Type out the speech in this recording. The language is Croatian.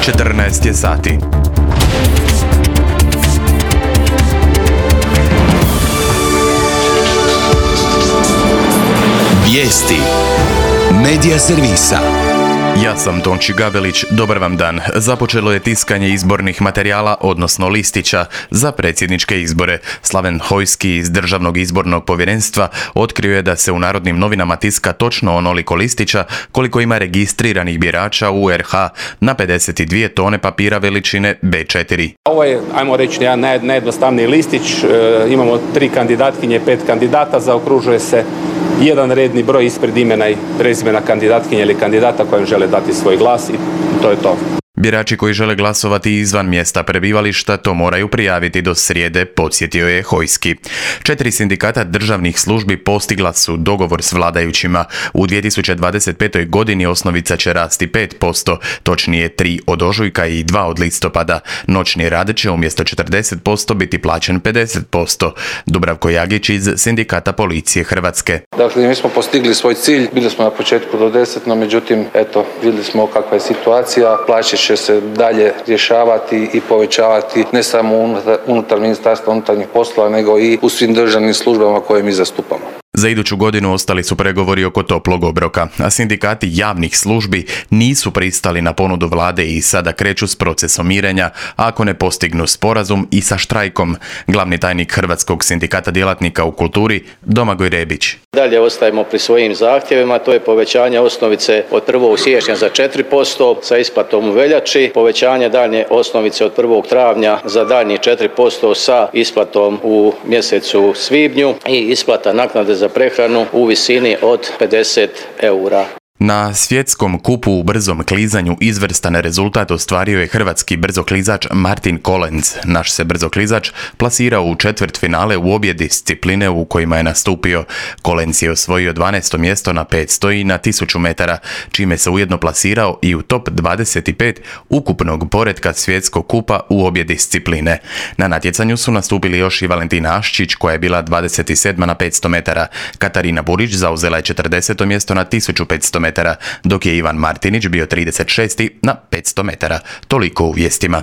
14 je sati. Vijesti Medija servisa. Ja sam Tonči Gabelić, dobar vam dan. Započelo je tiskanje izbornih materijala, odnosno listića, za predsjedničke izbore. Slaven Hojski iz Državnog izbornog povjerenstva otkrio je da se u Narodnim novinama tiska točno onoliko listića koliko ima registriranih birača u RH na 52 tone papira veličine B4. Ovo je, ajmo reći, jedan najjednostavniji listić. Imamo 3 kandidatkinje, 5 kandidata, zaokružuje se jedan redni broj ispred imena i prezimena kandidatkinje ili kandidata kojem žele dati svoj glas i to je to. Birači koji žele glasovati izvan mjesta prebivališta to moraju prijaviti do srijede, podsjetio je Hojski. 4 sindikata državnih službi postigla su dogovor s vladajućima. U 2025. godini osnovica će rasti 5%, točnije 3 od ožujka i 2 od listopada. Noćni rad će umjesto 40% biti plaćen 50%. Dubravko Jagić iz Sindikata policije Hrvatske. Dakle, mi smo postigli svoj cilj, bili smo na početku do 10, no međutim, vidjeli smo kakva je situacija, plaće će se dalje rješavati i povećavati ne samo unutar Ministarstva unutarnjih poslova, nego i u svim državnim službama koje mi zastupamo. Za iduću godinu ostali su pregovori oko toplog obroka, a sindikati javnih službi nisu pristali na ponudu vlade i sada kreću s procesom mirenja ako ne postignu sporazum i sa štrajkom. Glavni tajnik Hrvatskog sindikata djelatnika u kulturi Domagoj Rebić. Dalje ostajemo pri svojim zahtjevima, to je povećanje osnovice od 1. siječnja za 4% sa isplatom u veljači, povećanje daljnje osnovice od 1. travnja za daljnjih 4% sa isplatom u mjesecu svibnju i isplata naknade za prehranu u visini od 50 eura. Na svjetskom kupu u brzom klizanju izvrstan rezultat ostvario je hrvatski brzoklizač Martin Kolenc. Naš se brzoklizač plasirao u četvrtfinale u obje discipline u kojima je nastupio. Kolenc je osvojio 12. mjesto na 500 i na 1000 metara, čime se ujedno plasirao i u top 25 ukupnog poretka svjetskog kupa u obje discipline. Na natjecanju su nastupili još i Valentina Aščić koja je bila 27. na 500 metara. Katarina Burić zauzela je 40. mjesto na 1500 metara, dok je Ivan Martinić bio 36. na 500 metara. Toliko u vijestima.